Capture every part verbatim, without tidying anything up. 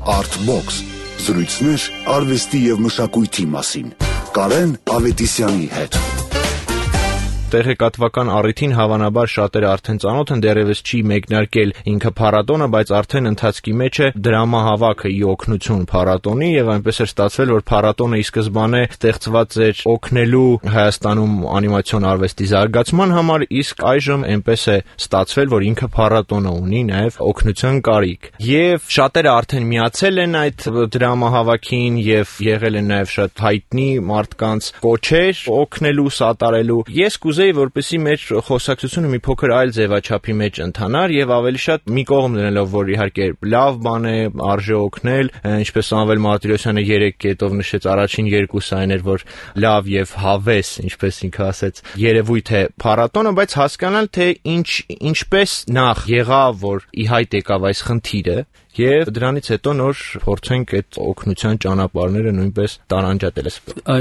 Artbox. Զրույցներ արվեստի եւ մշակույթի մասին։ Կարեն Ավետիսյանի հետ։ Տեղեկատվական առիթին հավանաբար շատերը արդեն ծանոթ են, դեռևս չի մեկնարկել ինքը փառատոնը, բայց արդեն ընթացքի մեջ է դրամահավաքը ի օգնություն փառատոնի, եւ այնպես էր ստացվել, որ փառատոնը ի սկզբանե ստեղծված էր օգնելու Հայաստանում անիմացիոն արվեստի զարգացման համար, իսկ այժմ այնպես է ստացվել, որ ինքը փառատոնը ունի նաեւ օգնության կարիք։ Եվ շատերը արդեն միացել են այդ դրամահավաքին եւ եղել են նաեւ շատ հայտնի մարդկանց կոչեր օգնելու, սատարելու։ Ես Ուզեի, որպեսզի մեր խոսակցությունը մի փոքր այլ ձևաչափի մեջ ընթանար եւ ավելի շատ մի կողմ դնելով, որ իհարկե լավ բան է, արժե օգնել, ինչպես Սամվել Մարտիրոսյանը երեք կետով նշեց, առաջին երկուսը այն էր, որ լավ եւ հավես, ինչպես ինքը ասեց, երևույթ է փառատոնը, բայց հասկանալ թե ինչ ինչպես նախ եղավ, որ ի հայտ եկավ այս խնդիրը, եւ դրանից հետո նոր փորձենք այդ օգնության ճանապարհները նույնպես տարանջատել։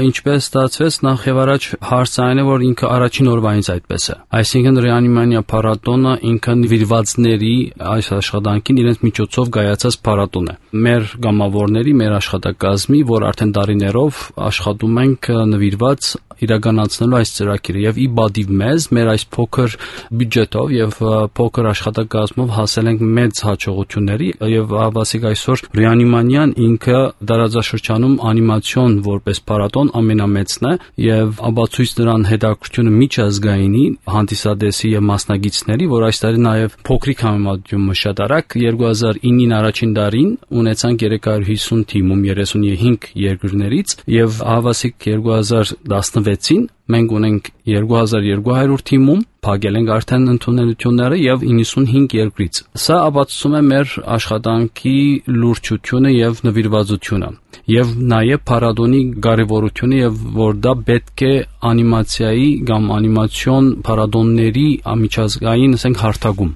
Ինչպես ստացվեց, նախ եւ առաջ հարցը այն է, որ ինքը առաջին օրվանից այդպես է։ Այսինքն Ռեանիմանիա փառատոնը ինքը նվիրվածների այս աշխատանքին իրենց միջոցով գայացած փառատոն է։ Մեր գամավորների, մեր աշխատակազմի, որ արդեն տարիներով աշխատում ենք նվիրված իրականացնելու այս ծրագիրը եւ ի բադիվ մեզ մեր այս փոքր բյուջետով եւ փոքր աշխատակազմով հասել ենք մեծ հաջողությունների եւ հավասիկ այսօր Ռեանիմանիան ինքը դարաձաշրջանում անիմացիոն որպես փառատոն ամենամեծն է եւ աբացույց նրան հետաքրքրությունը միջազգայինի հանդիսադեսի եւ մասնագետների, որ այս տարի նաեւ փոքրիկ համեմատությամբ շատ արագ երկու հազար ինին առաջին տարին ունեցանք երեք հարյուր հիսուն թիմում երեսունհինգ երկրներից եւ հավասիկ երկու հազար տասնվեցին մենք ունենք երկու հազար երկու հարյուր թիմում, փակել ենք արդեն ընդունելությունները եւ իննսունհինգ երկրից։ Սա ապացուցում է մեր աշխատանքի լուրջությունը եւ նվիրվածությունը եւ նաեւ փառատոնի կարեւորությունը եւ որ դա պետք է անիմացիայի կամ անիմացիոն փառատոնների միջազգային, ասենք, հարթակում